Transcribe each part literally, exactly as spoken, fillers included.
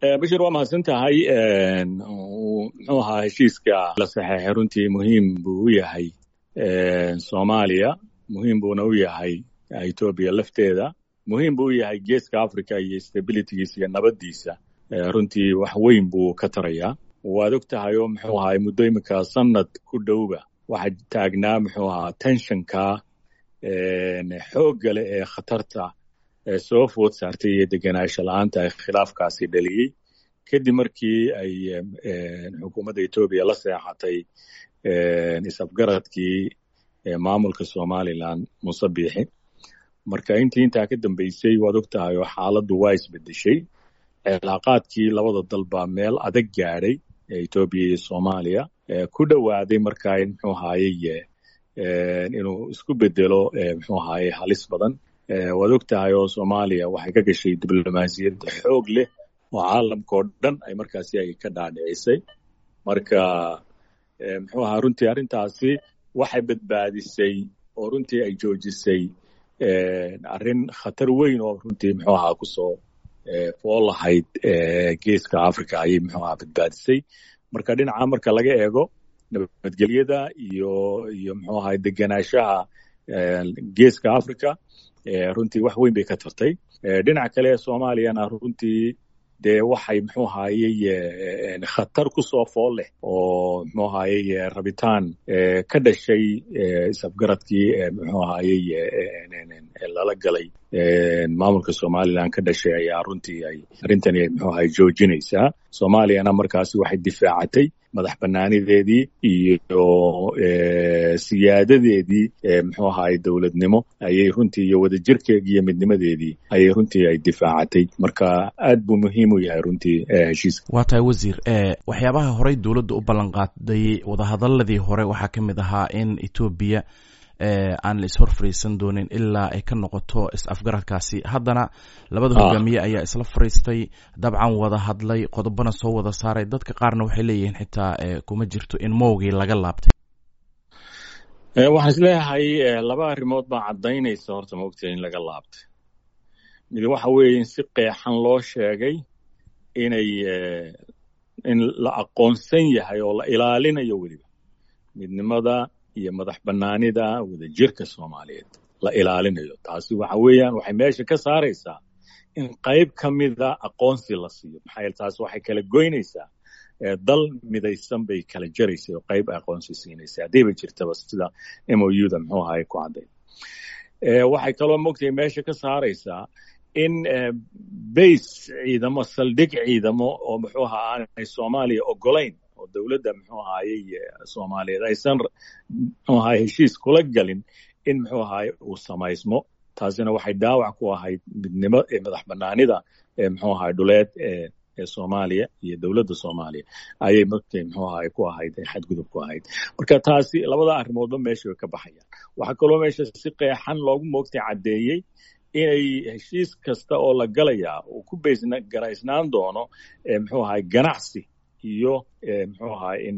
Bashir, waa mahadsan tahay. Muxuu ahaa, heshiiska la saxeexay runtii muhiim buu u yahay Soomaaliya, muhiim buuna u yahay Etoobiya lafteeda, muhiim buu u yahay Geeska Africa iyo stabilitygiisa iyo nabaddiisa. Runtii wax weyn buu ka tarayaa. Waad og tahay oo muxuu ahaa, muddo iminka sanad ku dhowba waxaa taagnaa muxuu ahaa tensionka xoogga leh ee khatarta soo food saartay iyo degenaansho la-aanta ay khilaafkaasi dhaliyey, kadib markii ay xukuumadda Etoobiya la seexatay is-afgaradkii maamulka Somaliland Muuse Biixi. Marka intii intaa ka dambeysay, waad og tahay oo xaaladdu waa isbedeshay. Cilaaqaadkii labada dal baa meel adag gaadhay, Etoobiya iyo Soomaaliya, ku dhowaaday markaa muxuu ahaayey inuu isku bedelo muxuu ahaayey halis badan. Waad og tahay oo Soomaaliya waxay ka gashay diblomaasiyad xoog leh oo caalamka oo dhan ay markaasi ay ka dhaadhicisay. Marka muxuu ahaa, runtii arrintaasi waxay badbaadisay oo runtii ay joojisay arrin khatar weyn oo runtii muxuu ahaa kusoo fool lahayd Geeska Africa ayay muxuu ahaa badbaadisay. Marka dhinaca marka laga eego nabadgelyada iyo iyo muxuu ahaa degenaanshaha Geeska Africa, runtii wax weyn bay ka tartay. Dhinaca kale Soomaaliyana runtii dee waxay muxuu ahaayey khatar kusoo fool leh oo muxuu ahaayey rabitaan ka dhashay is-afgaradkii muxuu ahaayey lala galay maamulka Somaliland ka dhashay ayaa runtii ay arrintani muxuu ahaay joojinaysaa. Soomaaliyana markaasi waxay difaacatay madax banaanideedii iyo siyaadadeedii muxuu ahaay dowladnimo ayay runtii iyo wadajirkeedii iyo midnimadeedii ayay runtii ay difaacatay. Marka aad buu muhiim u yahay runtii heshiiska. Waa tahay, wasiir. Waxyaabaha horey dowladda u ballan qaaday wadahadaladii hore waxaa ka mid ahaa in Etoobiya aan la ishor fariisan doonin ilaa ay ka noqoto is-afgaradkaasi. Haddana labada hogaamiye ayaa isla fariistay, dabcan wada hadlay, qodobana soo wada saaray. Dadka qaarna waxay leeyihiin xitaa kuma jirto in mowgii laga laabtay. Waxaan isleeyahay laba arrimood baa caddaynaysa horta maogta in laga laabtay. Mid waxa weeye in si qeexan loo sheegay inay in la aqoonsan yahay oo la ilaalinayo weliba midnimada iyo madax banaanida wadajirka Soomaaliyeed la ilaalinayo. Taasi waxa weeyaan waxay meesha ka saaraysaa in qayb ka mida aqoonsi la siiyo, maxaa yeele taasi waxay kala goynaysaa dal midaysan bay kala jaraysay oo qayb aqoonsi siinaysa haddayba jirtaba, sida M O U da muxuu ahaay ku cadday. Waxay kaloo mogtahay meesha ka saaraysaa in base ciidamo, saldhig ciidamo oo muxuu ahaa aanay Soomaaliya ogolayn oo dowladda muxuu ahaayey Soomaaliyeed aysan muxuu ahaay heshiis kula galin in muxuu ahaay uu samaysmo. Taasina waxay dhaawac ku ahayd midnimo ee madax banaanida ee muxuu ahaay dhuleed ee ee Soomaaliya iyo dowladda Soomaaliya ayay markay muxuu ahaay ku ahayd xadgudub ku ahayd. Marka taasi labada arrimoodba meesha way ka baxayaan. Waxaa kaloo meesha si qeexan loogu moogtay caddeeyey inay heshiis kasta oo la galayaa uu ku baysna garaysnaan doono muxuu ahaay ganacsi iyo muxuu ahaay in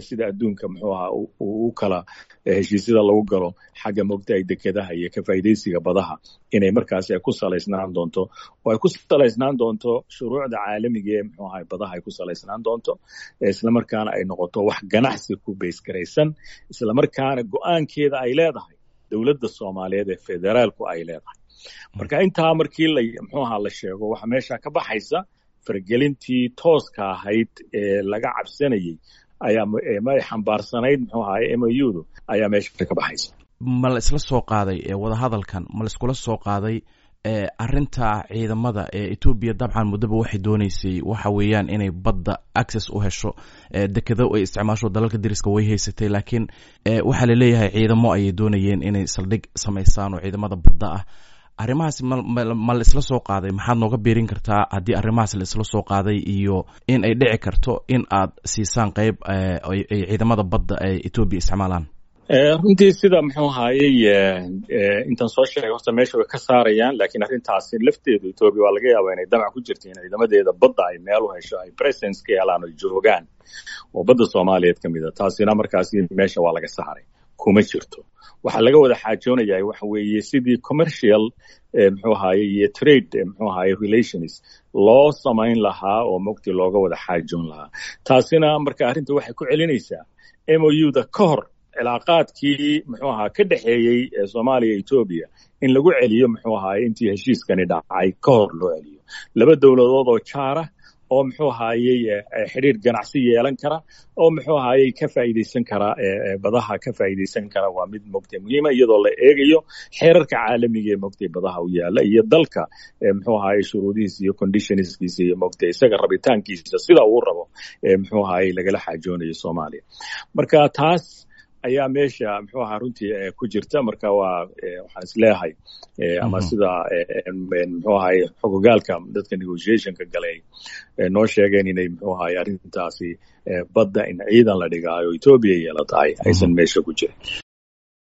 sida adduunka muxuu ahaa uu kala heshiisyada lagu galo xagga moogtahay dekedaha iyo ka faa'iidaysiga badaha, inay markaasi ay ku salaysnaan doonto oo ay ku salaysnaan doonto shuruucda caalamiga ee muxuu ahaay badaha ay ku salaysnaan doonto, isla markaana ay noqoto wax ganacsi ku baysgaraysan, isla markaana go'aankeeda ay leedahay dowladda Soomaaliyeed ee federaalku ay leedahay. Marka intaa markii la muxuu ahaa la sheego, waxa meesha ka baxaysa fargelintii tooska ahayd ee laga cabsanayey ayaa ma xambaarsanayd muxuu ahaay M O U du ayaa meesha ka baxaysa. Ma la isla soo qaaday wadahadalkan, ma la iskula soo qaaday arrinta ciidamada ee Etoobiya? Dabcan muddaba waxay dooneysay waxa weeyaan inay badda access u hesho, dekedo ay isticmaasho dalalka deriska way haysatay, laakiin waxaa laleeyahay ciidamo ayay doonayeen inay saldhig samaysaan oo ciidamada badda ah. Arrimahaas ma ma la isla soo qaaday? Maxaad nooga biirin kartaa haddii arrimahaas la isla soo qaaday iyo in ay dhici karto in aad siisaan qayb ay ciidamada badda ay Etoobiya isticmaalaan? Runtii sida muxuu ahaayey intaan soo sheegay horta meesha way ka saarayaan, laakiin arrintaasi lafteedu Etoobiya waa laga yaabaa inay damac ku jirta in ciidamadeeda badda ay meel u hesho, ay presence ka helaan oo joogaan oo badda Soomaaliyeed ka mid a. Taasina markaasi meesha waa laga saaray. Kuma jirto. Waxaa laga wada xaajoonayaa waxa weeye sidii commercial, muxuu ahaye, iyo trade, muxuu ahaye, relations loo samayn lahaa oo mogti looga wada xaajoon lahaa. Taasina marka arrinta waxay ku celinaysaa M O U da ka hor cilaaqaadkii, muxuu ahaa, ka dhexeeyey Soomaaliya Etoobiya, in lagu celiyo, muxuu ahaye, intii heshiiskani dhacay ka hor loo celiyo, laba dowladood oo jaara oo, muxuu ahaayey, xidhiir ganacsi yeelan kara oo, muxuu ahaayey, ka faa'iidaysan kara badaha, ka faa'iidaysan kara, waa mid mogtay muhiima, iyadoo la eegayo xeerarka caalamiga ee mogtay badaha u yaala iyo dalka, muxuu ahaayey, shuruudihiisa iyo conditionskiisa iyo mogtay isaga rabitaankiisa sida uu rabo, muxuu ahaayey, lagala xaajoonayo Soomaaliya. Marka taas ayaa meesha, muxuu ahaa, runtii ku jirta. Marka waa waxaan isleeyahay, ama sida, muxuu ahaye, xogogaalka dadka negotiationka galay noo sheegeen, inay, muxuu ahaye, arrintaasi badda in ciidan la dhigaayo Etoobiya yeelatahay aysan meesha ku jirin.